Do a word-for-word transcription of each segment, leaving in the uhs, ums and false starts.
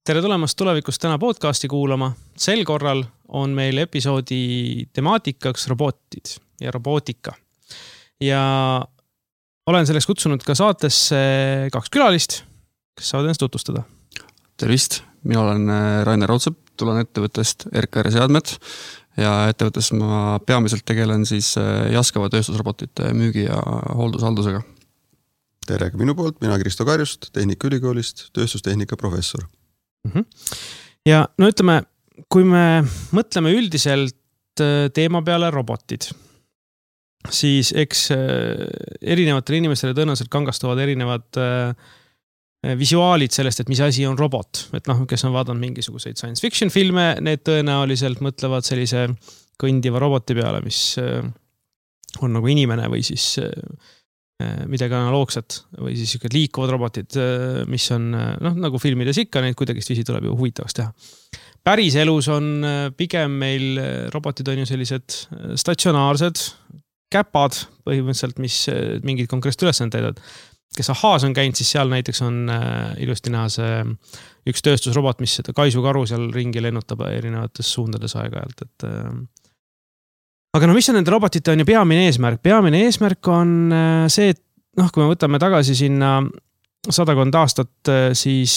Tere tulemast tulevikust täna podcasti kuulama. Sel korral on meil episoodi temaatikaks robotid ja robootika. Ja olen selleks kutsunud ka saatesse kaks külalist, kes saavad ennast tutvustada. Tervist, mina olen Rainer Raudsepp, tulen ettevõttest R K R Seadmed ja ettevõttes ma peamiselt tegelen siis jaskava tööstusrobotite müügi ja hooldushaldusega. Tere ka minu poolt, mina Kristo Karjust, Tehnikaülikoolist, tööstustehnika professor. Ja no ütleme, kui me mõtleme üldiselt teema peale robotid, siis eks erinevatele inimestele tõenäoliselt kangastuvad erinevad visuaalid sellest, et mis asi on robot. Et noh, kes on vaadanud mingisuguseid science fiction filme, need tõenäoliselt mõtlevad sellise kõndiva roboti peale, mis on nagu inimene või siis midagi analoogset või siis liikuvad robotid, mis on noh, nagu filmides ikka, neid kuidagist viisi tuleb ju huvitavaks teha. Päris elus on pigem meil robotid on ju sellised statsionaarsed käpad põhimõtteliselt, mis mingid konkreetset ülesanded täidavad. Kes Ahaas on käinud, siis seal näiteks on ilusti näha see üks tööstusrobot, mis seda kaisukaru seal ringi lennutab erinevates suundades aeg-ajalt, et aga no mis on nende robotite on ju peamine eesmärk? Peamine eesmärk on see, et noh, kui me võtame tagasi sinna sadakond aastat, siis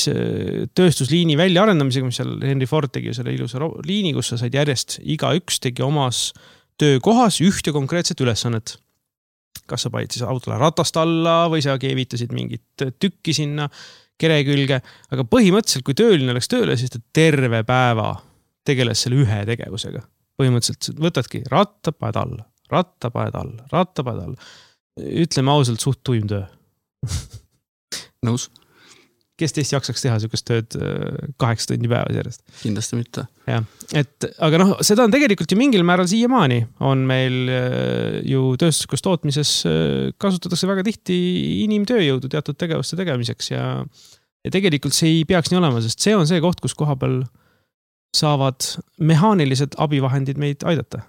tööstusliini väljaarendamisega, mis seal Henry Ford tegi selle ilusa liini, kus sa said järjest iga üks tegi omas töökohas ühte konkreetset ülesannet. Kas sa panid siis autole ratast alla või sa keevitasid mingit tükki sinna kere külge, aga põhimõtteliselt, kui tööline oleks tööle, siis ta terve päeva tegeles selle ühe tegevusega. Põhimõtteliselt võtadki rattapaed alla, rattapaed alla, rattapaed alla. Ütleme ausalt suht tuim töö. Nõus. Kes teist jaksaks teha sellist tööd kaheksa tundi päevas järjest? Kindlasti mitte. Ja, et, aga noh, seda on tegelikult ju mingil määral siiamaani. On meil ju tööstuslikus tootmises kasutatakse väga tihti inimtööjõudu teatud tegevuste tegemiseks ja, ja tegelikult see ei peaks nii olema, sest see on see koht, kus koha peal saavad mehaanilised abivahendid meid aidata.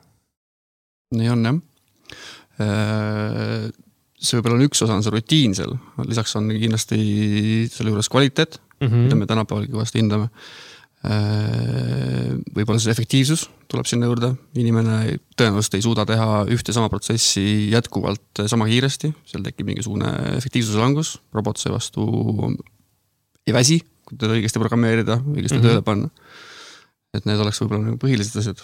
Nii on, jah. See võib-olla on üks osa, on see rutiin seal. Lisaks on kindlasti selle juures kvaliteet, mm-hmm. mida me tänapäeval kõvasti hindame. Võib-olla see efektiivsus tuleb sinna juurde. Inimene tõenäoliselt ei suuda teha ühte sama protsessi jätkuvalt sama kiiresti. Seal tekib mingisugune efektiivsuse langus. Robot see vastu ei väsi, kui teda õigesti programmeerida, õigesti mm-hmm. tööle panna. Et need oleks võib-olla nagu põhilised asjad.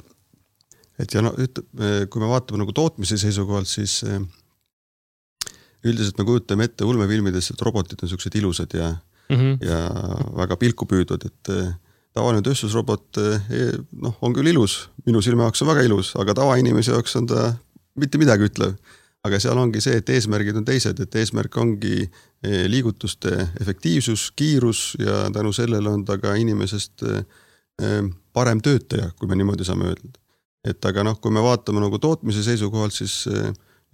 Et ja no, kui me vaatame nagu tootmise seisukohalt, siis üldiselt me kujutame ette ulmefilmides, et robotid on sellised ilusad ja, mm-hmm. ja väga pilku püüdvad, et tavaline tööstusrobot noh, on küll ilus, minu silme jaoks on väga ilus, aga tavainimese jaoks on ta mitte midagi ütlev. Aga seal ongi see, et eesmärgid on teised, et eesmärk ongi liigutuste efektiivsus, kiirus ja tänu sellele on ta ka inimesest parem töötaja, kui me niimoodi saame öelda. Et aga noh, kui me vaatame nagu tootmise seisukohalt, siis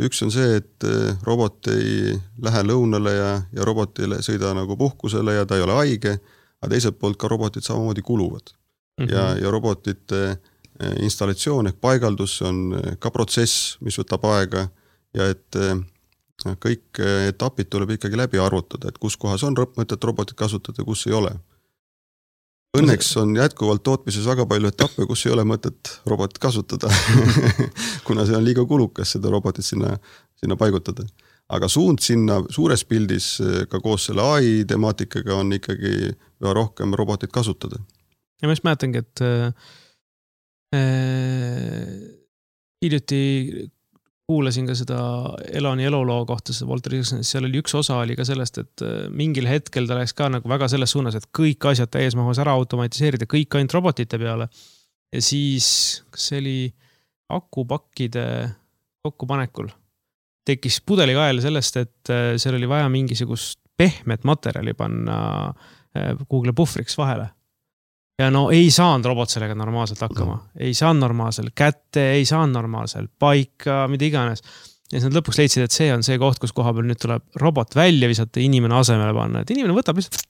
üks on see, et robot ei lähe lõunale ja, ja robot ei sõida nagu puhkusele ja ta ei ole haige, aga teiselt poolt ka robotid samamoodi kuluvad. Mm-hmm. Ja, ja robotite installatsioon ehk paigaldus on ka protsess, mis võtab aega ja et kõik etapid tuleb ikkagi läbi arvutada, et kus kohas on mõtet robotit kasutada, kus ei ole. Õnneks on jätkuvalt tootmises väga palju etappe, kus ei ole mõtet robotit kasutada, kuna see on liiga kulukas seda robotit sinna, sinna paigutada. Aga suund sinna suures pildis ka koos selle A I temaatikaga on ikkagi väga rohkem robotit kasutada. Ja ma just mäletangi, et äh, hiljuti kuulasin ka seda Elani eluloo kohta, seda Walter Isaacson, seal oli üks osa oli ka sellest, et mingil hetkel ta läks ka nagu väga selles suunas, et kõik asjad täies mahus ära automatiseerida, kõik ainult robotite peale. Ja siis, kas see oli akupakkide kokkupanekul, tekkis pudelikael sellest, et seal oli vaja mingisugust pehmet materjali panna Google puhvriks vahele. Ja no ei saanud robot sellega normaalselt hakkama. Ei saanud normaalselt kätte, ei saanud normaalselt paika, mida iganes. Ja siis nad lõpuks leidsid, et see on see koht, kus koha peal nüüd tuleb robot välja visata ja inimene asemele panna. Et inimene võtab lihtsalt,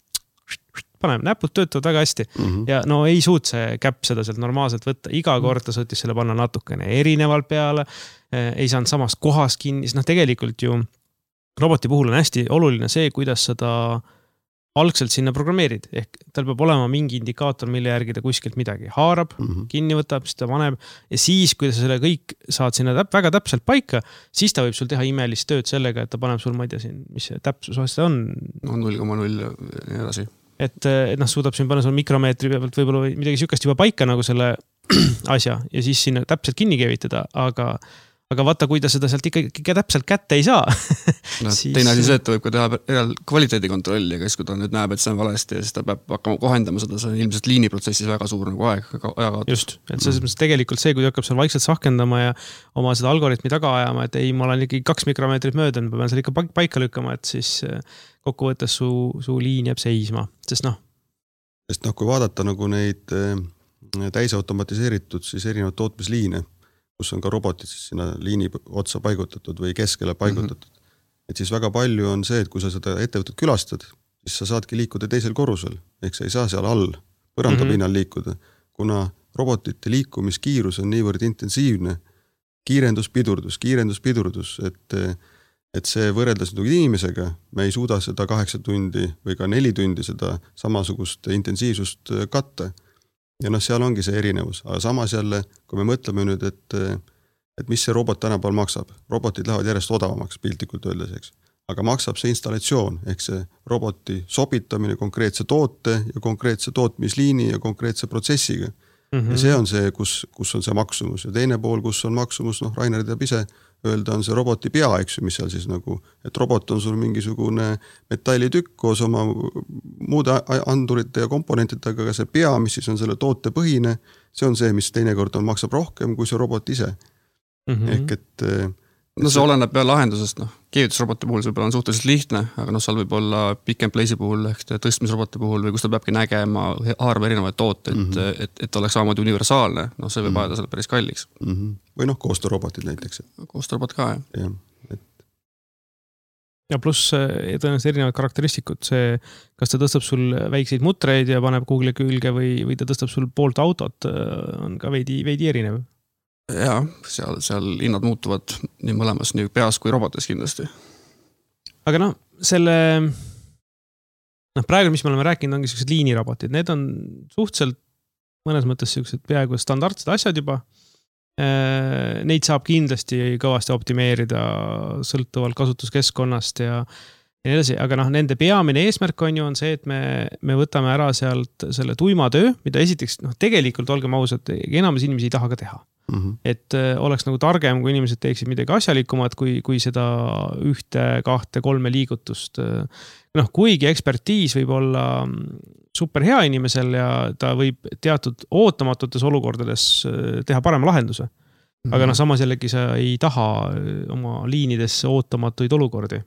paneb, näpud töötavad väga hästi. Mm-hmm. Ja no ei suut see käpp seda sealt normaalselt võtta. Iga kord ta suutis selle panna natukene erinevalt peale. Ei saanud samast kohas kinni. Noh, tegelikult ju roboti puhul on hästi oluline see, kuidas seda algselt sinna programmeerid, ehk tal peab olema mingi indikaator, mille järgi ta kuskilt midagi haarab, mm-hmm. kinni võtab, siis ta paneb ja siis, kui sa selle kõik saad sinna täp- väga täpselt paika, siis ta võib sul teha imelist tööd sellega, et ta paneb sul, ma ei tea siin, mis see täpsus aasta on. No null koma null ja nii edasi. Et, et noh, suudab siin panna sul mikromeetri pealt võib-olla midagi sükast juba paika nagu selle asja ja siis sinna täpselt kinni keevitada, aga aga vaata, kui ta seda sealt ikka, ikka täpselt kätte ei saa. No, siis... Teine asi see, et ta võib ka teha kvaliteedikontrolli, aga siis kui ta nüüd näeb, et see on valesti ja siis ta peab hakkama kohendama seda, see on ilmselt liiniprotsessis väga suur nagu aeg, ajakaatus. Just, et selles mõttes tegelikult see, kui ta hakkab seal vaikselt sahkendama ja oma seda algoritmi taga ajama, et ei, ma olen ikkagi kaks mikromeetrit mööda, ma pean seal ikka paika lükkama, et siis kokkuvõttes su, su liin jääb seisma, sest noh. Sest noh, kui vaadata nagu neid täisautomatiseeritud siis erinevad tootmisliine, kus on ka robotid siis sinna liini otsa paigutatud või keskele paigutatud. Mm-hmm. Et siis väga palju on see, et kui sa seda ettevõtet külastad, siis sa saadki liikuda teisel korrusel, ehk sa ei saa seal all põranda mm-hmm. pinnal liikuda, kuna robotite liikumiskiirus on niivõrd intensiivne, kiirendus, pidurdus, kiirendus, pidurdus, et, et see võrreldes inimesega, me ei suuda seda kaheksa tundi või ka neli tundi seda samasugust intensiivsust katta. Ja noh, seal ongi see erinevus, aga samas jälle, kui me mõtleme nüüd, et, et mis see robot tänapäeval maksab, robotid lähevad järjest odavamaks piltlikult öeldes, eks. Aga maksab see installatsioon, ehk see roboti sobitamine konkreetse toote ja konkreetse tootmisliini ja konkreetse protsessiga. Mm-hmm. Ja see on see, kus, kus on see maksumus ja teine pool, kus on maksumus, noh, Rainer teab ise öelda, on see roboti pea, eks ju, mis seal siis nagu, et robot on sul mingisugune metallitükk koos oma muude andurite ja komponentidega, aga see pea, mis siis on selle toote põhine, see on see, mis teinekord on, maksab rohkem kui see robot ise. Mm-hmm. Ehk et... No see oleneb peale lahendusest, noh, keevitusroboti puhul see võib-olla on suhteliselt lihtne, aga noh, seal võib olla pick and place'i puhul ehk tõstmisroboti puhul või kus ta peabki nägema, haarama erinevaid tooteid, mm-hmm. et, et oleks samamoodi universaalne, noh, see võib mm-hmm. ajada selle päris kalliks. Mm-hmm. Või noh, koostöörobotid näiteks. Koostöörobot ka, jah. Ja, et... ja pluss tõenäoliselt erinevad karakteristikud, see, kas ta tõstab sul väikseid mutreid ja paneb Google'i külge või, või ta tõstab sul poolt autot, on ka veidi, veidi erinev. Jaa, seal, seal hinnad muutuvad nii mõlemas, nii peas kui robotis kindlasti. Aga noh, selle noh, praegu, mis me oleme rääkinud, ongi sellised liinirobotid. Need on suhteliselt mõnes mõttes sellised peaaegu standardsed asjad juba. Neid saab kindlasti kõvasti optimeerida sõltuvalt kasutuskeskkonnast ja ja nii edasi, aga noh, nende peamine eesmärk on ju on see, et me, me võtame ära sealt selle tuima töö, mida esiteks, noh, tegelikult olgem ausad, enamus inimesi ei taha ka teha. Mm-hmm. Et äh, oleks nagu targem, kui inimesed teeksid midagi asjalikumat, kui, kui seda ühte, kahte, kolme liigutust. Noh, kuigi ekspertiis võib olla super hea inimesel ja ta võib teatud ootamatutes olukordades teha parema lahenduse. Mm-hmm. Aga noh, samas jällegi sa ei taha oma liinidesse ootamatuid olukordi.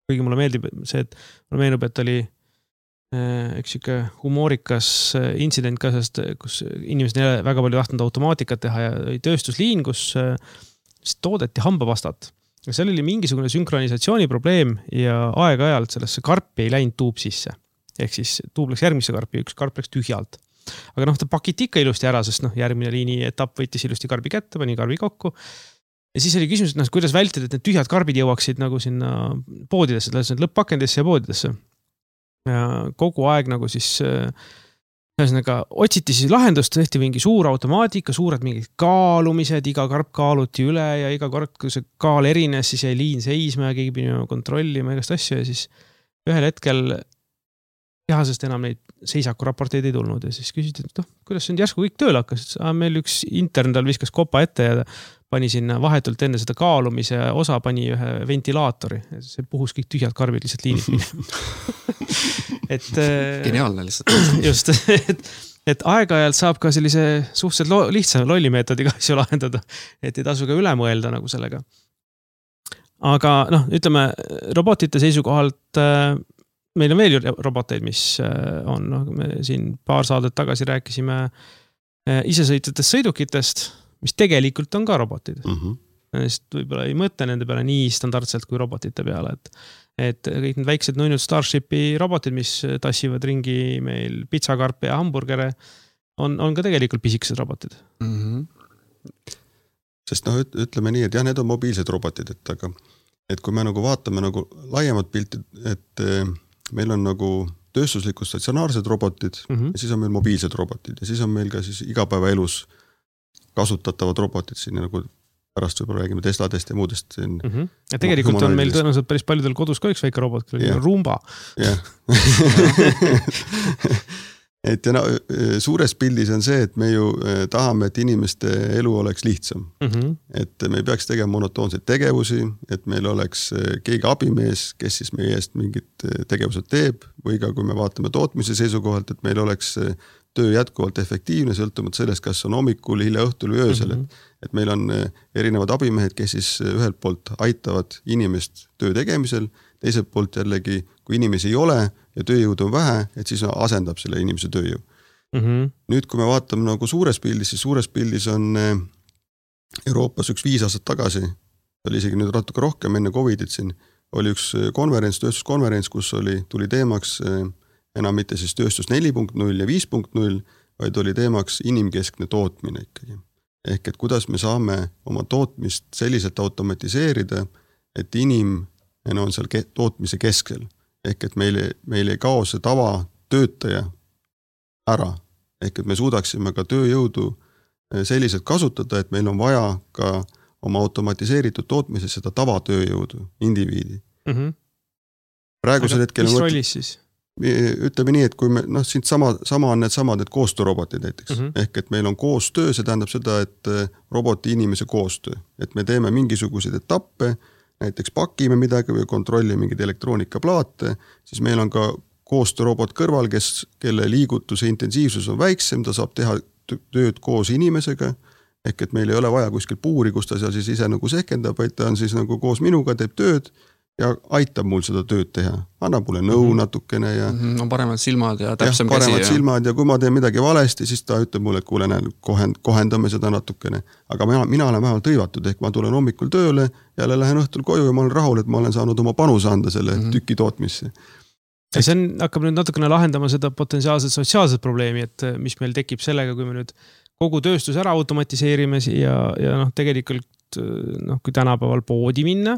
Kuigi mulle meeldib see, et mulle meenub, et oli üks siuke humoorikas intsident ka, sest kus inimesed ei väga palju tahtnud automaatikat teha ja tööstusliin, kus toodeti hambapastat. Ja seal oli mingisugune synkronisatsiooni probleem ja aeg-ajalt sellesse karpi ei läinud tuub sisse. Ehk siis tuub läks järgmisse karpi, üks karp läks tühjalt. Aga noh, ta pakiti ikka ilusti ära, sest noh, järgmine liini etapp võttis ilusti karbi kätte, pani karbi kokku. Ja siis oli küsimus, et noh, kuidas vältida, et need tühjad karbid jõuaksid nagu sinna poodidesse, lõpp-pakendisse ja poodidesse. Ja kogu aeg nagu siis ühesõnaga otsiti siis lahendust, tehti mingi suur automaatika, suured mingid kaalumised, iga karp kaaluti üle ja iga kord, kui see kaal erines, siis jäi liin seisma ja keegi pidi kontrollima igast asju ja siis ühel hetkel tehasest enam neid seisakuraporteid ei tulnud ja siis küsiti, et noh, kuidas see nüüd järsku kõik tööle hakkas, meil üks intern tal viskas kopa ette ja pani sinna vahetult enne seda kaalumise osa pani ühe ventilaatori. See puhus kõik tühjad karbid lihtsalt liinid minema. et, Geniaalne lihtsalt. Just, et, et aeg-ajalt saab ka sellise suhteliselt lo- lihtsa lollimeetodiga asju lahendada, et ei tasu ka üle mõelda nagu sellega. Aga noh, ütleme, robotite seisukohalt meil on veel ju roboteid, mis on, noh, me siin paar saadet tagasi rääkisime isesõitvatest sõidukitest, mis tegelikult on ka robotid. Mm-hmm. Sest võib-olla ei mõtle nende peale nii standardselt kui robotite peale, et, et kõik need väiksed nõinud Starshipi robotid, mis tassivad ringi meil pitsakarpe ja hamburgere, on, on ka tegelikult pisikesed robotid. Mm-hmm. Sest noh, ütleme nii, et jah, need on mobiilsed robotid, et, aga, et kui me nagu vaatame nagu laiemat pilti, et meil on nagu tööstuslikud statsionaarsed robotid mm -hmm. ja siis on meil mobiilsed robotid ja siis on meil ka siis igapäevaelus kasutatavad robotid siin nagu pärast võib-olla räägime Tesladest ja muudest siin. Mm -hmm. Ja tegelikult on meil tõenäoliselt päris paljudel kodus ka üks väike robot, kui on Roomba. Jah. Et ja no, suures pildis on see, et me ju tahame, et inimeste elu oleks lihtsam. Mm -hmm. Et me ei peaks tegema monotoonseid tegevusi, et meil oleks keegi abimees, kes siis meie eest mingid tegevused teeb või ka kui me vaatame tootmise seisukohalt, et meil oleks töö jätkuvalt efektiivne, sõltumata sellest, kas on hommikul, hilja õhtul või öösel. Mm -hmm. Et meil on erinevad abimehed, kes siis ühelt poolt aitavad inimest töö tegemisel, teiselt poolt jällegi, kui inimesi ei ole ja tööjõud on vähe, et siis asendab selle inimese tööjõu. Mm -hmm. Nüüd, kui me vaatame nagu suures pildis, siis suures pildis on Euroopas üks viis aastat tagasi, oli isegi nüüd natuke rohkem enne Covidit siin, oli üks konverents, tööstuskonverents, kus oli, tuli teemaks enam mitte siis tööstus neli punkt null ja viis punkt null, vaid oli teemaks inimkeskne tootmine ikkagi. Ehk et kuidas me saame oma tootmist selliselt automatiseerida, et inim on seal tootmise keskel. Ehk et meil, meil ei kao see tava töötaja ära. Ehk et me suudaksime ka tööjõudu selliselt kasutada, et meil on vaja ka oma automatiseeritud tootmises seda tavatööjõudu, indiviidi. Mm -hmm. Praegusel hetkel... Mis rollis siis? Ütleme nii, et kui me, noh, siin sama, sama on need samad, need koostöörobotid näiteks. Mm -hmm. Ehk et meil on koostöö, see tähendab seda, et roboti inimese koostöö. Et me teeme mingisuguseid etappe, näiteks pakime midagi või kontrollime mingid elektroonikaplaate, siis meil on ka koostöörobot kõrval, kes, kelle liigutuse intensiivsus on väiksem, ta saab teha tööd koos inimesega, ehk et meil ei ole vaja kuskil puuri, kus ta seal siis ise nagu sehkendab, vaid ta on siis nagu koos minuga, teeb tööd ja aitab mul seda tööd teha. Annab mulle nõu mm-hmm. natukene ja... Mm-hmm. On paremad silmad ja täpsem ja, käsi. Paremad ja... silmad ja kui ma teen midagi valesti, siis ta ütleb mulle, et kuule, näe, kohend, kohendame seda natukene. Aga mina, mina olen vähemalt hõivatud, ehk ma tulen hommikul tööle, jälle lähen õhtul koju ja ma olen rahul, et ma olen saanud oma panuse anda selle mm-hmm. tüki tootmisse. Ja see on, hakkab nüüd natukene lahendama seda potentsiaalset sotsiaalset probleemi, et mis meil tekib sellega, kui me nüüd kogu tööstus ära automatiseerime ja, ja noh, tegelikult noh, kui tänapäeval poodi minna,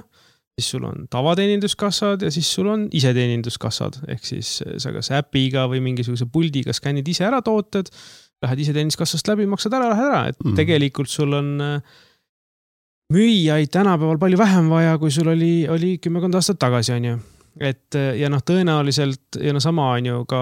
siis sul on tavateeninduskassad ja siis sul on iseteeninduskassad. Ehk siis sa kas äpiga või mingisuguse puldiga skännid ise ära tooted, lähed iseteeninduskassast läbi, maksad ära, lähed ära. Et mm. tegelikult sul on müüjaid tänapäeval palju vähem vaja, kui sul oli, oli kümmekond aastat tagasi, on ju. Et ja noh, tõenäoliselt ja no sama on ju ka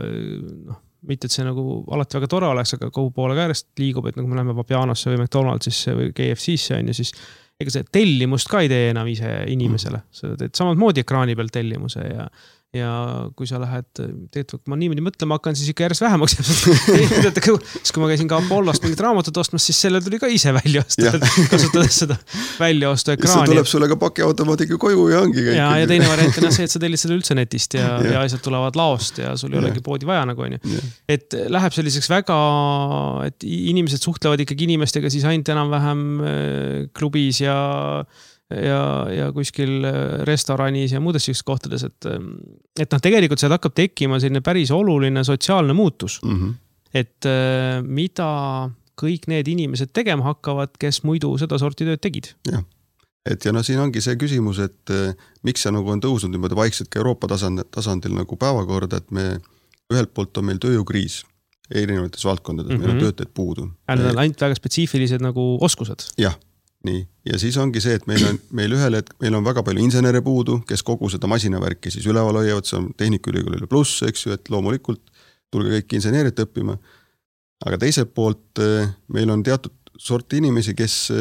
noh, mitte, et see nagu alati väga tore oleks, aga kogu poole ka järjest liigub, et nagu me läheme Vapianosse või McDonaldsisse või K F C-sse on ju, siis ega see tellimust ka ei tee enam ise inimesele. Sa teed samad moodi ekraani peal tellimuse ja, ja kui sa lähed, tegelikult kui ma niimoodi mõtlema hakkan, siis ikka järjest vähemaks. Siis kui ma käisin ka Apollost mingit raamatut ostmas, siis selle tuli ka ise välja osta, kasutades seda välja ostu ekraani. See tuleb sulle ka pakiautomaatiga koju ja ongi kõik. Ja, ja teine variant on see, et sa tellid seda üldse netist ja, ja. ja asjad tulevad laost ja sul ei olegi poodi vaja nagu on ju. Et läheb selliseks väga, et inimesed suhtlevad ikkagi inimestega siis ainult enam-vähem klubis ja ja, ja kuskil restoranis ja muudes sellistes kohtades, et, et noh, tegelikult sealt hakkab tekkima selline päris oluline sotsiaalne muutus. Mm -hmm. Et mida kõik need inimesed tegema hakkavad, kes muidu seda sorti tööd tegid. Jah. Et ja no siin ongi see küsimus, et miks see nagu on tõusnud niimoodi vaikselt ka Euroopa tasandil, tasandil nagu päevakorda, et me ühelt poolt on meil tööjõukriis erinevates valdkondades, mm -hmm. meil on töötajad puudu. Need on ainult väga spetsiifilised nagu oskused. Jah. Nii. Ja siis ongi see, et meil on, meil ühel hetk, meil on väga palju insenere puudu, kes kogu seda masinavärki siis üleval hoiavad, see on Tehnikaülikoolile pluss, eks ju, et loomulikult tulge kõik inseneerit õppima. Aga teiselt poolt meil on teatud sorti inimesi, kes,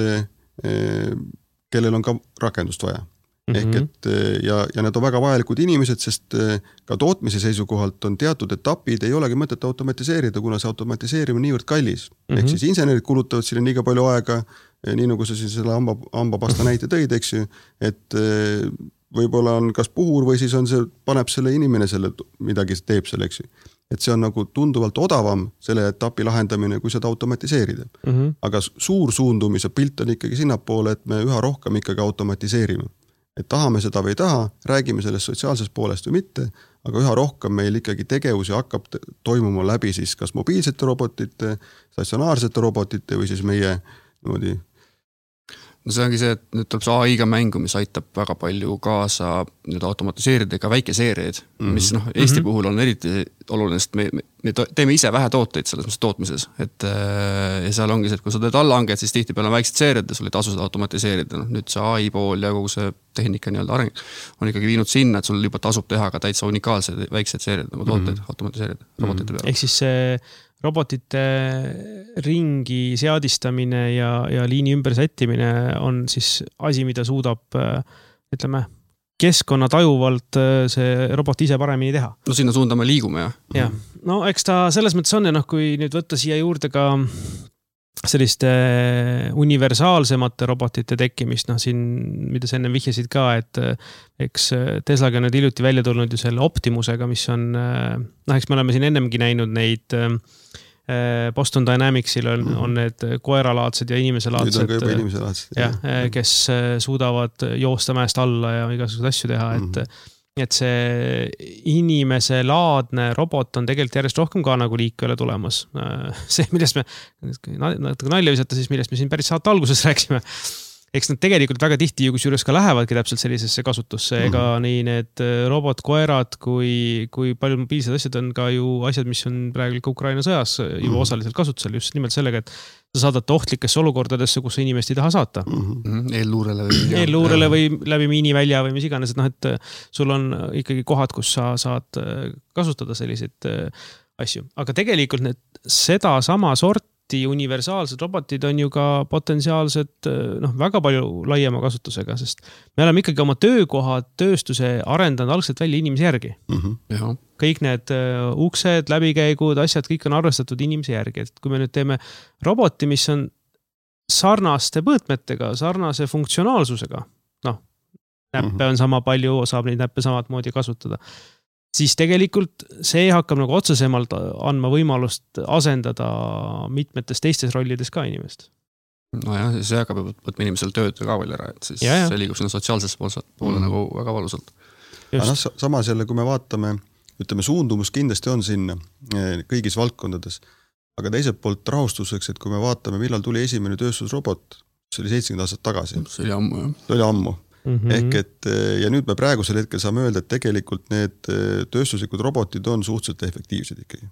kellel on ka rakendust vaja. Mm-hmm. Ehk et ja, ja need on väga vajalikud inimesed, sest ka tootmise seisukohalt on teatud etapid, ei olegi mõtet automatiseerida, kuna see automatiseerimine niivõrd kallis. Mm-hmm. Ehk siis insenerid kulutavad sinna liiga palju aega, nii nagu sa siin selle hamba, hambapasta näite tõid, eks ju, et võib-olla on kas puhur või siis on see, paneb selle inimene selle, midagi teeb selle, eks ju. Et see on nagu tunduvalt odavam selle etapi lahendamine, kui seda automatiseerida. Mm-hmm. Aga suur suundumise pilt on ikkagi sinnapoole, et me üha rohkem ikkagi automatiseerime. Et tahame seda või ei taha, räägime sellest sotsiaalsest poolest või mitte, aga üha rohkem meil ikkagi tegevusi hakkab toimuma läbi siis kas mobiilsete robotite, statsionaarsete robotite või siis meie niimoodi no see ongi see, et nüüd tuleb see A I-ga mängu, mis aitab väga palju kaasa nüüd automatiseerida ka väikeseeriaid, mm-hmm. mis noh, Eesti mm-hmm. puhul on eriti oluline, sest me, me teeme ise vähe tooteid selles mõttes tootmises, et ja seal ongi see, et kui sa teed allanged, siis tihti peale on väiksed seeriad ja sul ei tasu seda automatiseerida, noh nüüd see A I pool ja kogu see tehnika nii-öelda areng on ikkagi viinud sinna, et sul juba tasub teha ka täitsa unikaalsed väiksed seeriad nagu tooteid mm-hmm. automatiseerida robotite peale. Ehk siis see robotite ringi seadistamine ja, ja liini ümber sättimine on siis asi, mida suudab, ütleme, keskkonna tajuvalt see robot ise paremini teha. No sinna suunda me liigume, jah. Ja. No eks ta selles mõttes on ja noh, kui nüüd võtta siia juurde ka selliste universaalsemate robotite tekkimist, noh siin, mida sa enne vihjasid ka, et eks Teslaga on nüüd hiljuti välja tulnud ju selle Optimusega, mis on, noh eks me oleme siin ennemgi näinud neid Boston Dynamicsil on, mm-hmm. on need koeralaadsed ja inimeselaadsed. Nüüd on ka juba inimeselaadsed. Ja, kes suudavad joosta mäest alla ja igasugused asju teha, et mm-hmm. et see inimeselaadne robot on tegelikult järjest rohkem ka nagu liikvele tulemas. See, millest me natuke nalja visata, siis millest me siin päris saate alguses rääksime. Eks nad tegelikult väga tihti ju kusjuures ka lähevadki täpselt sellisesse kasutusse, ega mm-hmm. nii need robotkoerad kui, kui palju mobiilsed asjad on ka ju asjad, mis on praegu ka Ukraina sõjas juba mm-hmm. osaliselt kasutusel just nimelt sellega, et sa saadad ohtlikesse olukordadesse, kus sa inimest ei taha saata. Mm-hmm. Eelluurele või, Eelluurele või läbi miinivälja või mis iganes, et noh, et sul on ikkagi kohad, kus sa saad kasutada selliseid asju. Aga tegelikult need seda sama sort universaalsed robotid on ju ka potentsiaalsed noh, väga palju laiema kasutusega, sest me oleme ikkagi oma töökohad, tööstuse arendanud algselt välja inimese järgi. Mm-hmm. Kõik need uksed, läbikäigud, asjad, kõik on arvestatud inimese järgi. Et kui me nüüd teeme roboti, mis on sarnaste mõõtmetega, sarnase funktsionaalsusega, noh, näppe mm-hmm. on sama palju, saab neid näppe samad moodi kasutada, siis tegelikult see hakkab nagu otsesemalt andma võimalust asendada mitmetes teistes rollides ka inimest. No jah, siis see hakkab võtma inimesel tööd ka veel ära, et siis ja, ja. see liigub sinna sotsiaalsesse poole mm. nagu väga valusalt. No, samas jälle, kui me vaatame, ütleme, suundumus kindlasti on sinna kõigis valdkondades, aga teiselt poolt rahustuseks, et kui me vaatame, millal tuli esimene tööstusrobot, see oli seitsekümmend aastat tagasi. See oli ammu, jah. See oli ammu. Mm-hmm. Ehk et, ja nüüd me praegusel hetkel saame öelda, et tegelikult need tööstuslikud robotid on suhteliselt efektiivsed ikkagi.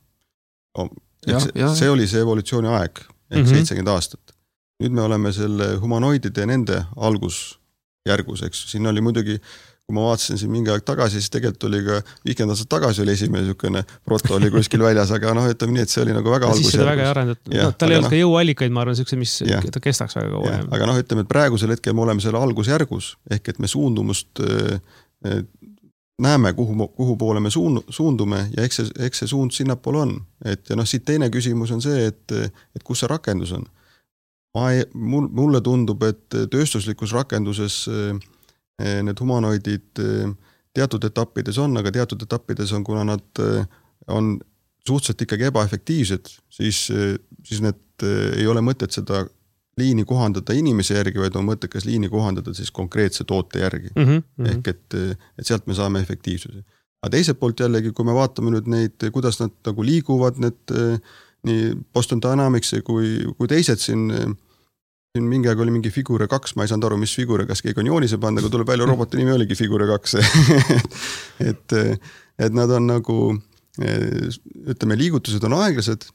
Ja, see, ja. see oli see evolutsiooni aeg, ehk mm-hmm. seitsekümmend aastat. Nüüd me oleme selle humanoidide ja nende algusjärgus, eks. Siin oli muidugi, kui ma vaatasin siin mingi aeg tagasi, siis tegelikult oli ka viiskümmend aastat tagasi oli esimene niisugune proto oli kuskil väljas, aga noh, ütleme nii, et see oli nagu väga algusjärgus. Siis seda väga arendatud. No, tal ei olnud no, ka jõuallikaid, ma arvan, niisuguse, mis ja, ta kestaks väga kaua. Aga noh, ütleme, et praegusel hetkel me oleme selle algusjärgus, ehk et me suundumust äh, näeme, kuhu, kuhu poole me suundume ja eks see, eks see suund sinnapoole on. Et, ja noh, siit teine küsimus on see, et, et kus see rakendus on. Ma ei, mulle tundub, et tööstuslikus rakenduses need humanoidid teatud etappides on, aga teatud etappides on, kuna nad on suhteliselt ikkagi ebaefektiivsed, siis, siis need ei ole mõtet seda liini kohandada inimese järgi, vaid on mõttekas liini kohandada siis konkreetse toote järgi. Mm-hmm. Ehk et, et sealt me saame efektiivsuse. Aga teiselt poolt jällegi, kui me vaatame nüüd neid, kuidas nad nagu liiguvad, need nii Boston Dynamics kui, kui teised siin Siin mingi aeg oli mingi Figure kaks, ma ei saanud aru, mis Figure, kas keegi on joonise pannud, aga tuleb välja roboti nimi oligi Figure kaks. et, et nad on nagu, ütleme, liigutused on aeglased,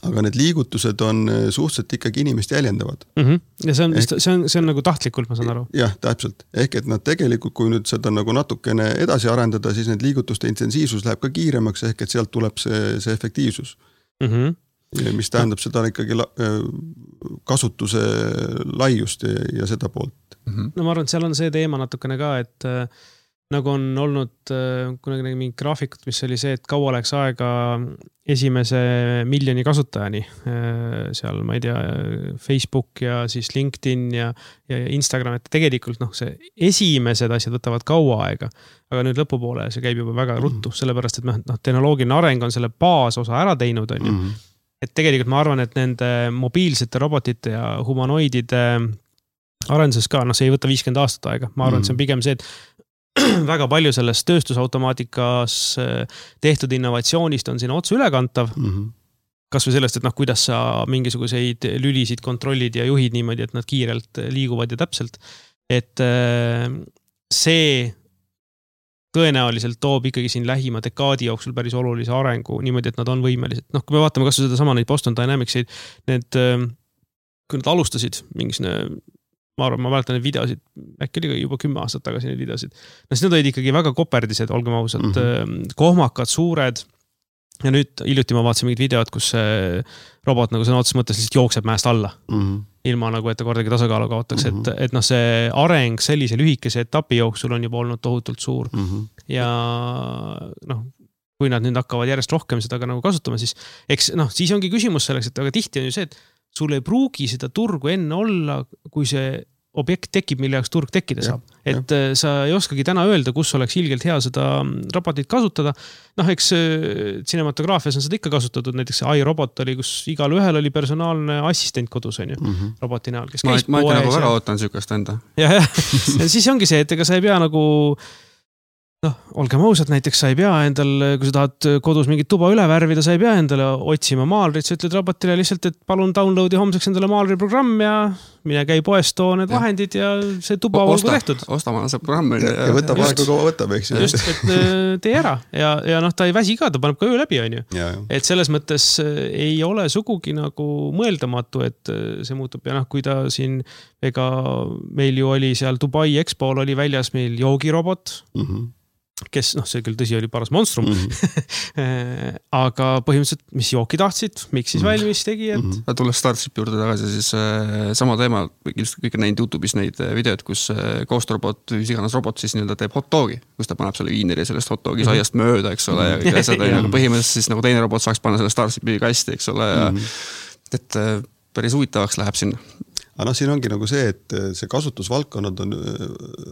aga need liigutused on suhteliselt ikkagi inimest jäljendavad. Mm-hmm. Ja see on, ehk, see, on, see on nagu tahtlikult, ma saan aru. Jah, täpselt. Ehk et nad tegelikult, kui nüüd seda nagu natukene edasi arendada, siis need liigutuste intensiivsus läheb ka kiiremaks, ehk et sealt tuleb see, see efektiivsus. Mhm. Mis tähendab seda ikkagi kasutuse laiust ja, ja seda poolt. No ma arvan, et seal on see teema natukene ka, et äh, nagu on olnud äh, kunagi mingi graafikut, mis oli see, et kaua läks aega esimese miljoni kasutajani. Äh, seal, ma ei tea, Facebook ja siis LinkedIn ja, ja Instagram, et tegelikult noh, see esimesed asjad võtavad kaua aega, aga nüüd lõpupoole see käib juba väga ruttu, sellepärast, et noh, tehnoloogiline areng on selle baasosa ära teinud, on ju. Mm-hmm. Et tegelikult ma arvan, et nende mobiilsete robotite ja humanoidide arenduses ka, noh see ei võta viiskümmend aastat aega. Ma arvan, mm. et see on pigem see, et väga palju sellest tööstusautomaatikas tehtud innovatsioonist on sinna otsa ülekantav. Mm-hmm. kas või sellest, et noh, kuidas sa mingisuguseid lülisid kontrollid ja juhid niimoodi, et nad kiirelt liiguvad ja täpselt. Et see tõenäoliselt toob ikkagi siin lähima dekaadi jooksul päris olulise arengu niimoodi, et nad on võimelised. Noh, kui me vaatame kas või seda sama neid Boston Dynamicsid, need, kui nad alustasid mingisugune, ma arvan, ma mäletan neid videosid, äkki oli juba kümme aastat tagasi neid videosid. No siis need olid ikkagi väga koperdised, olgem ausalt, mm-hmm. kohmakad, suured. Ja nüüd hiljuti ma vaatasin mingid videod, kus see robot nagu sõna otseses mõttes lihtsalt jookseb mäest alla. Mm-hmm. Ilma nagu, et ta kordagi tasakaalu kaotaks. Mm-hmm. Et, et noh, see areng sellise lühikese etapi jooksul on juba olnud tohutult suur. Mm-hmm. Ja noh, kui nad nüüd hakkavad järjest rohkem seda ka nagu kasutama, siis eks noh, siis ongi küsimus selleks, et aga tihti on ju see, et sul ei pruugi seda turgu enne olla, kui see objekt tekib, mille jaoks turg tekkida saab. Ja, et ja. Sa ei oskagi täna öelda, kus oleks ilgelt hea seda robotit kasutada. Noh, eks cinematograafias on seda ikka kasutatud, näiteks see iRobot oli, kus igal ühel oli personaalne assistent kodus, on ju, mm-hmm. roboti näol, kes ma, käis ma ikka nagu väga ootan sükast enda. Ja, ja. ja siis ongi see, et ega sa ei pea nagu noh, olgem ausad, näiteks sa ei pea endal, kui sa tahad kodus mingit tuba üle värvida, sa ei pea endale otsima maalrit, sa ütled robotile lihtsalt, et palun downloadi homseks endale maalri programm ja mine käi poest, too need ja. Vahendid ja see tuba olgu tehtud. Osta ma see programm. Ja, ja võtab aega, kui võtab, eks. Just, et tee ära ja, ja noh, ta ei väsi ka, ta paneb ka öö läbi, on ju. Ja, ja. Et selles mõttes ei ole sugugi nagu mõeldamatu, et see muutub ja noh, kui ta siin, ega meil ju oli seal Dubai Expo'l oli väljas meil joogirobot, mm-hmm. kes, noh, see küll tõsi oli paras monstrum, mm-hmm. aga põhimõtteliselt, mis jooki tahtsid, miks siis mm-hmm. valmis tegi, et... Mm-hmm. Tulles Starshipi juurde tagasi, siis äh, sama teema, kõik on näinud YouTube'is neid videod, kus äh, koostorobot, mis iganes robot siis nii-öelda teeb hot dogi, kus ta paneb selle viineri sellest hot dogi mm-hmm. saiast mööda, eks ole, ja kõik asjad, ja põhimõtteliselt siis nagu teine robot saaks panna selle Starshipi kasti, eks ole, ja mm-hmm. et äh, päris huvitavaks läheb sinna. Aga noh, siin ongi nagu see, et see kasutusvaldkonnad on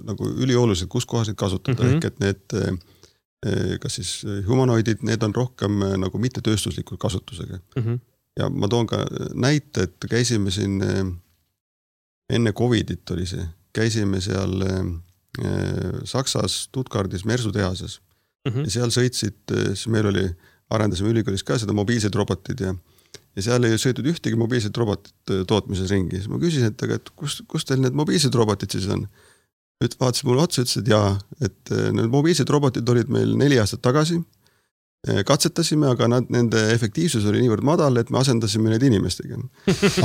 nagu üliolulised, kus kohas neid kasutada, mm-hmm. ehk et need, kas siis humanoidid, need on rohkem nagu mitte tööstusliku kasutusega. Mm-hmm. Ja ma toon ka näite, et käisime siin enne Covidit oli see, käisime seal Saksas Stuttgardis Mersu tehases mm-hmm. ja seal sõitsid, siis meil oli, arendasime ülikoolis ka seda mobiilsed robotid ja Ja seal ei sõitud ühtegi mobiilset robotit tootmises ringi. Siis ma küsisin, et, aga, et kus, kus teil need mobiilsed robotid siis on? Nüüd vaatas mulle otsa, ütles, et jaa, et need mobiilsed robotid olid meil neli aastat tagasi. Katsetasime, aga nad, nende efektiivsus oli niivõrd madal, et me asendasime need inimestega.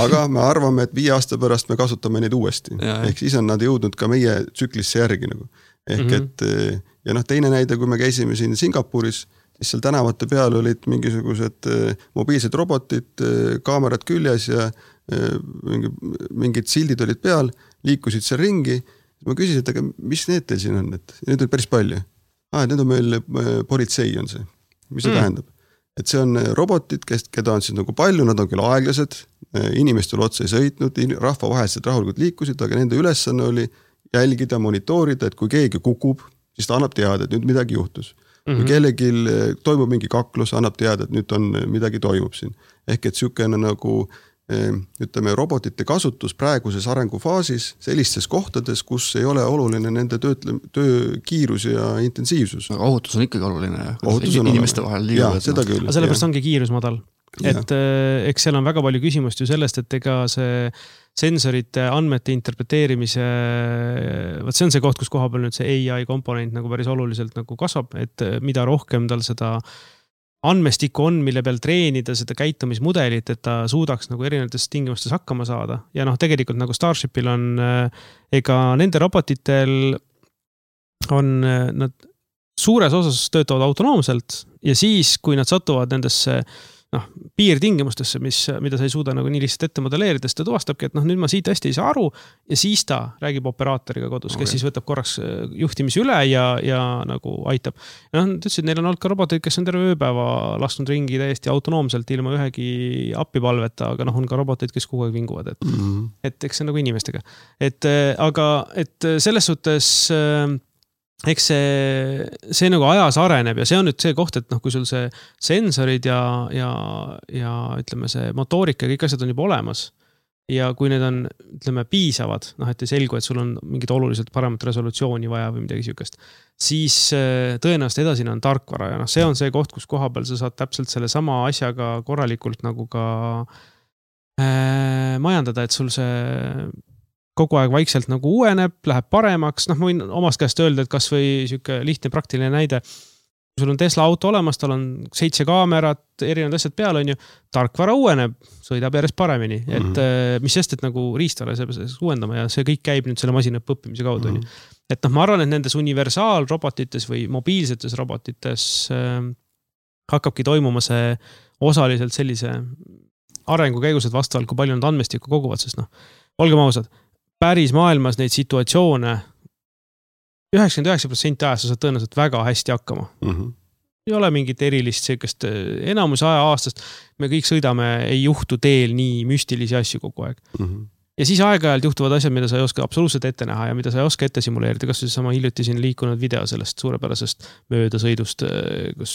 Aga me arvame, et viie aasta pärast me kasutame neid uuesti. Ja, ehk siis on nad jõudnud ka meie tsüklisse järgi. Nagu. Ehk mm-hmm. et, ja noh, teine näide, kui me käisime siin Singapuris, siis seal tänavate peal olid mingisugused mobiilsed robotid, kaamerad küljes ja mingi, mingid sildid olid peal, liikusid seal ringi. Ma küsisin, et aga mis need teil siin on? Et need on päris palju. Ah, need on meil politsei on see. Mis see mm. tähendab? Et see on robotid, kes, keda on siis nagu palju, nad on küll aeglased, inimestel otsa ei sõitnud, rahva vahelised rahulikult liikusid, aga nende ülesanne oli jälgida, monitoorida, et kui keegi kukub, siis ta annab teada, et nüüd midagi juhtus. Kui mm-hmm. kellegil toimub mingi kaklus, annab teada, et nüüd on midagi toimub siin. Ehk et sükene nagu, ütleme, robotite kasutus praeguses arengufaasis sellistes kohtades, kus ei ole oluline nende töötle, töö kiirus ja intensiivsus. Aga ohutus on ikkagi oluline. Ohutus on inimeste vahel liiguvad. Jaa, seda küll. Aga sellepärast ongi kiirus madal. Et äh, eks seal on väga palju küsimust ju sellest, et ega see sensorite andmete interpreteerimise, võt see on see koht, kus koha peal nüüd see A I komponent nagu päris oluliselt nagu kasvab, et mida rohkem tal seda andmestikku on, mille peal treenida seda käitumismudelit, et ta suudaks nagu erinevates tingimustes hakkama saada. Ja noh, tegelikult nagu Starshipil on, ega nende robotitel on, nad suures osas töötavad autonoomselt ja siis, kui nad satuvad nendesse noh, piirtingimustesse, mis, mida sa ei suuda nagu nii lihtsalt ette modelleerida, siis ta tuvastabki, et noh, nüüd ma siit hästi ei saa aru ja siis ta räägib operaatoriga kodus, kes okay. siis võtab korraks juhtimise üle ja, ja nagu aitab. Ja noh, ta ütles, et neil on olnud ka roboteid, kes on terve ööpäeva lasknud ringi täiesti autonoomselt ilma ühegi appipalveta, aga noh, on ka roboteid, kes kogu aeg vinguvad, et, mm-hmm. et eks see nagu inimestega. Et, aga et selles suhtes eks see, see nagu ajas areneb ja see on nüüd see koht, et noh, kui sul see sensorid ja, ja, ja ütleme see motoorika ja kõik asjad on juba olemas, ja kui need on, ütleme, piisavad, noh, et ei selgu, et sul on mingid oluliselt paremat resolutsiooni vaja või midagi sihukest, siis tõenäoliselt edasine on tarkvara ja noh, see on see koht, kus koha peal sa saad täpselt selle sama asjaga korralikult nagu ka äh, majandada, et sul see kogu aeg vaikselt nagu uueneb, läheb paremaks, noh, ma võin omast käest öelda, et kas või sihuke lihtne praktiline näide, sul on Tesla auto olemas, tal on seitse kaamerat, erinevad asjad peal on ju, tarkvara uueneb, sõidab järjest paremini, et mm-hmm. mis sest, et nagu riistvara saab uuendama ja see kõik käib nüüd selle masinaõppe õppimise kaudu mm. -hmm. et noh, ma arvan, et nendes universaalrobotites või mobiilsetes robotites äh, hakkabki toimuma see osaliselt sellise arengu käigus, et vastavalt kui palju nad andmestikku koguvad, sest noh, olgem ausad, päris maailmas neid situatsioone üheksakümmend üheksa protsenti ajast sa saad tõenäoliselt väga hästi hakkama. Mm-hmm. Ei ole mingit erilist sellist, enamus aja aastast me kõik sõidame, ei juhtu teel nii müstilisi asju kogu aeg. Mm-hmm. Ja siis aeg-ajalt juhtuvad asjad, mida sa ei oska absoluutselt ette näha ja mida sa ei oska ette simuleerida, kas see sama hiljuti siin liikunud video sellest suurepärasest möödasõidust, kus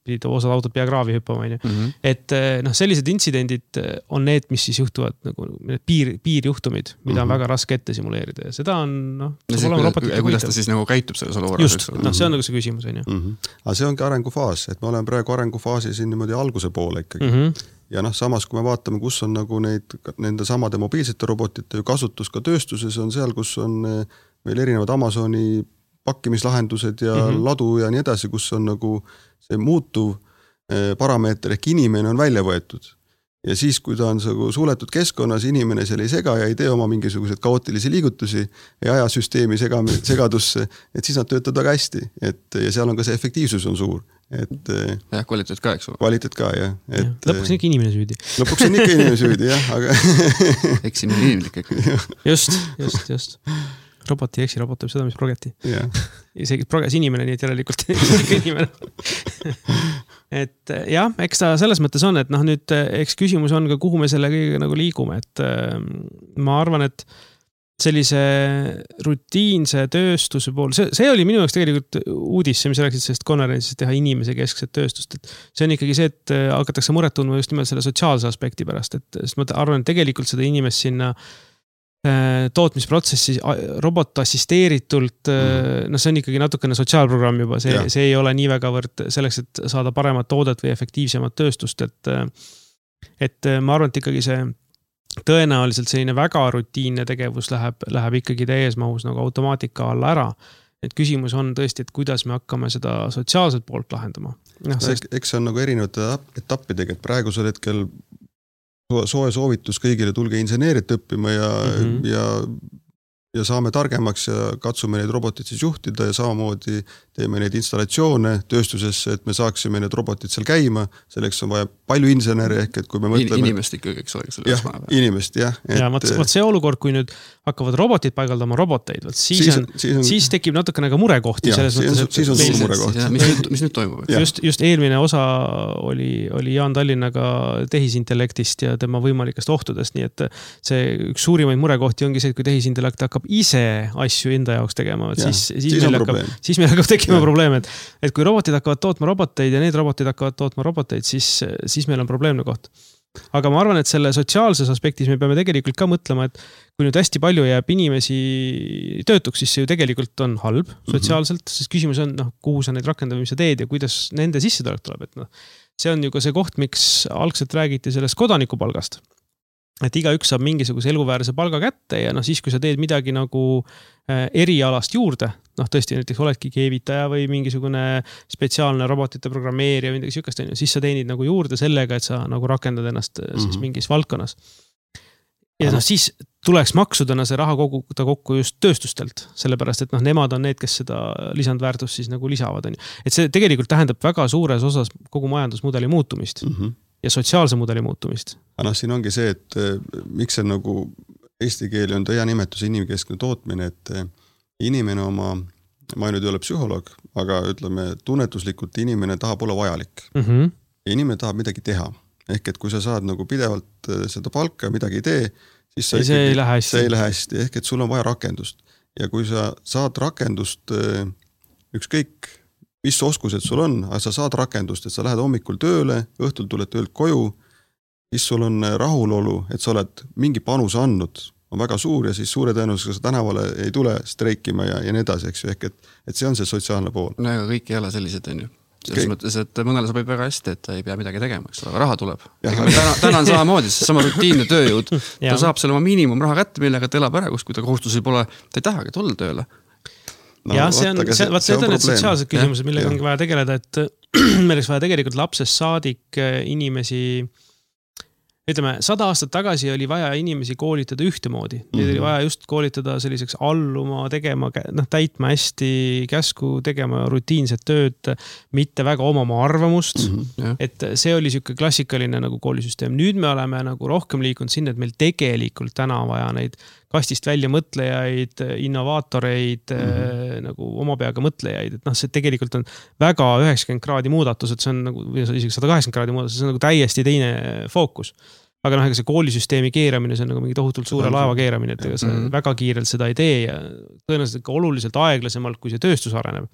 pidid osad autod pea kraavi hüppama. Mm-hmm. Et noh, sellised intsidendid on need, mis siis juhtuvad nagu piir, piirjuhtumid, mida mm-hmm. on väga raske ette simuleerida ja seda on noh, ja kuidas ta siis nagu käitub selles olukorras? Just, noh, see on nagu see küsimus. Mm-hmm. Aga see ongi arengufaas, et me oleme praegu arengufaasi siin niimoodi alguse poole ikkagi. Mm-hmm. Ja noh, samas kui me vaatame, kus on nagu neid, nende samade mobiilsete robotite ju kasutus ka tööstuses on seal, kus on meil erinevad Amazoni pakkimislahendused ja mm-hmm. ladu ja nii edasi, kus on nagu see muutuv parameeter ehk inimene on välja võetud. Ja siis, kui ta on suletud keskkonnas, inimene seal ei sega ja ei tee oma mingisugused kaootilisi liigutusi, ei aja süsteemi segadusse, et siis nad töötavad väga hästi. Et, ja seal on ka see efektiivsus on suur. Et, ja kvaliteet ka, eks ole. Kvaliteet ka, jah. Et, ja, lõpuks on ikka inimene süüdi. Lõpuks on ikka inimene süüdi, jah. Aga... Eks siin on inimlik ikka. Just, just, just. Robot ei eksi, robot teeb seda, mis progeti. Yeah. Isegi proges inimene, nii et järelikult ikka inimene. Et jah, eks ta selles mõttes on, et noh, nüüd eks küsimus on ka, kuhu me selle kõigega nagu liigume. Et ma arvan, et sellise rutiinse tööstuse pool, see, see oli minu jaoks tegelikult uudis, see, mis rääksid sellest konverentsist teha inimese keskset tööstust, et see on ikkagi see, et hakatakse muret tundma just nimelt selle sotsiaalse aspekti pärast, et sest ma arvan, et tegelikult seda inimest sinna tootmisprotsessi robot assisteeritult, mm. no see on ikkagi natukene sotsiaalprogramm juba, see, see ei ole nii väga võrd selleks, et saada paremat toodet või efektiivsemat tööstust, et, et ma arvan, et ikkagi see tõenäoliselt selline väga rutiinne tegevus läheb, läheb ikkagi täies mahus nagu automaatika alla ära. Et küsimus on tõesti, et kuidas me hakkame seda sotsiaalselt poolt lahendama. No, sest... Eks see on nagu erinevate etappidega, et praegusel hetkel soe soovitus kõigile tulge inseneerit õppima ja, mm-hmm. ja, ja saame targemaks ja katsume neid robotid siis juhtida ja samamoodi teeme neid installatsioone tööstusesse, et me saaksime need robotid seal käima. Selleks on vaja palju inseneri ehk, et kui me mõtleme... Inimest ikkagi, eks ole, jah, inimest, jah. Et... Ja võt, võt see olukord, kui nüüd hakkavad robotid paigaldama roboteid, võt siis, siis, on, siis, on... siis tekib natukene ka murekohti. Ja, selles siis, mõttes, siis on suur murekoht. Mis nüüd, mis nüüd toimub? Just, just eelmine osa oli, oli Jaan Tallinnaga tehisintellektist ja tema võimalikest ohtudest, nii et see üks suurimaid murekohti ongi see, et kui tehisintellekt hakkab ise asju enda jaoks tegema, ja, siis, siis, siis, meil hakkab, siis meil hakkab tekkima probleem, et, et kui robotid hakkavad tootma roboteid ja need robotid hakkavad tootma roboteid, siis, siis meil on probleemne koht. Aga ma arvan, et selle sotsiaalses aspektis me peame tegelikult ka mõtlema, et kui nüüd hästi palju jääb inimesi töötuks, siis see ju tegelikult on halb sotsiaalselt, sest küsimus on, noh, kuhu sa neid rakendab, mis sa teed ja kuidas nende sissetulek tuleb. Et noh, see on ju ka see koht, miks algselt räägiti sellest kodanikupalgast. Et igaüks saab mingisuguse eluväärse palga kätte ja noh, siis kui sa teed midagi nagu erialast juurde, noh tõesti näiteks oledki keevitaja või mingisugune spetsiaalne robotite programmeerija või midagi sükast, siis sa teenid nagu juurde sellega, et sa nagu rakendad ennast siis mm-hmm. mingis valdkonnas. Ja noh, siis tuleks maksudena see raha koguda kokku just tööstustelt, sellepärast, et noh, nemad on need, kes seda lisandväärtust siis nagu lisavad. On. Et see tegelikult tähendab väga suures osas kogu majandusmudeli muutumist mm-hmm. ja sotsiaalse mudeli muutumist. Aga noh, siin ongi see, et miks see nagu eesti keeli on hea nimetus inimkeskne tootmine, et inimene oma, ma nüüd ei ole psühholoog, aga ütleme, tunnetuslikult inimene tahab olla vajalik. Mm-hmm. Ja inimene tahab midagi teha. Ehk et kui sa saad nagu pidevalt seda palka ja midagi ei tee, siis sa ei, see, ei lähe see ei lähe hästi. Ehk et sul on vaja rakendust. Ja kui sa saad rakendust, ükskõik mis oskused sul on, aga sa saad rakendust, et sa lähed hommikul tööle, õhtul tuled töölt koju siis sul on rahulolu, et sa oled mingi panus andnud, on väga suur ja siis suure tõenäosusega sa tänavale ei tule streikima ja, ja nii edasi, eks ju, ehk et, et see on see sotsiaalne pool. No aga kõik ei ole sellised, on ju. Selles mõttes, et mõnele sobib väga hästi, et ta ei pea midagi tegema, eks ole, raha tuleb. Täna, täna on samamoodi, sama rutiinne tööjõud. Ta saab selle oma miinimum raha kätte, millega ta elab ära, kus kui ta kohustusi pole, ta ei tahagi tulla tööle. No, ja see on, see, see, see on need sotsiaalsed küsimused, millega ongi vaja tegeleda, et meil oleks vaja tegelikult lapsest saadik inimesi, ütleme, sada aastat tagasi oli vaja inimesi koolitada ühtemoodi. Neid mm-hmm. oli vaja just koolitada selliseks alluma, tegema, noh, täitma hästi käsku, tegema rutiinset tööd, mitte väga omama arvamust. Mm-hmm. Et see oli siuke klassikaline nagu koolisüsteem. Nüüd me oleme nagu rohkem liikunud sinna, et meil tegelikult täna vaja neid kastist välja mõtlejaid, innovaatoreid, mm-hmm. nagu oma peaga mõtlejaid. Et noh, see tegelikult on väga üheksakümmend kraadi muudatus, et see on nagu, või isegi sada kaheksakümmend kraadi muudatus, see on nagu täiesti teine fookus. Aga noh, ega see koolisüsteemi keeramine, see on nagu mingi tohutult suure laeva keeramine, et ega see mm-hmm. väga kiirelt seda ei tee ja tõenäoliselt ka oluliselt aeglasemalt, kui see tööstus areneb.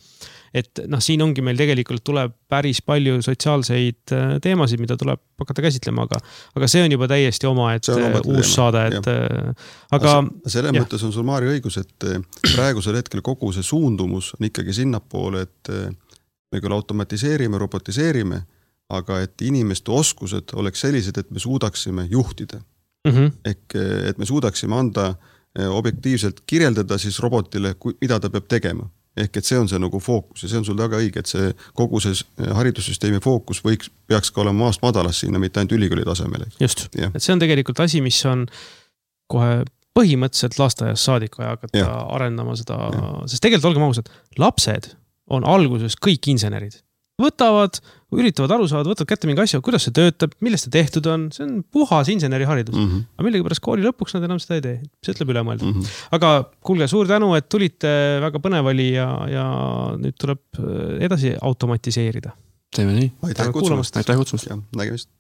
Et noh, siin ongi meil tegelikult tuleb päris palju sotsiaalseid teemasid, mida tuleb hakata käsitlema, aga, aga see on juba täiesti oma, et uus teema. Saade, et ja. Aga selle mõttes on sul Maari õigus, et praegusel hetkel kogu see suundumus on ikkagi sinnapoole, et me küll automatiseerime, robotiseerime, aga et inimeste oskused oleks sellised, et me suudaksime juhtida. Mm-hmm. Ehk et me suudaksime anda objektiivselt kirjeldada siis robotile, mida ta peab tegema. Ehk et see on see nagu fookus ja see on sul väga õige, et see kogu see haridussüsteemi fookus võiks, peaks ka olema maast madalas sinna, mitte ainult ülikooli tasemel. Just, ja. Et see on tegelikult asi, mis on kohe põhimõtteliselt lasteaias saadik vaja hakata ja. Arendama seda, ja. Sest tegelikult olgem ausad, lapsed on alguses kõik insenerid. Võtavad, üritavad aru saada, võtavad kätte mingi asja, kuidas see töötab, millest see tehtud on, see on puhas inseneriharidus. Mm-hmm. Aga millegi pärast kooli lõpuks nad enam seda ei tee. See ütleb üle mõelda. Mm-hmm. Aga kuulge, suur tänu, et tulite, väga põnev oli ja, ja nüüd tuleb edasi automatiseerida. Teeme nii. Aitäh kutsumast. Aitäh kutsumast. Ja, nägemist.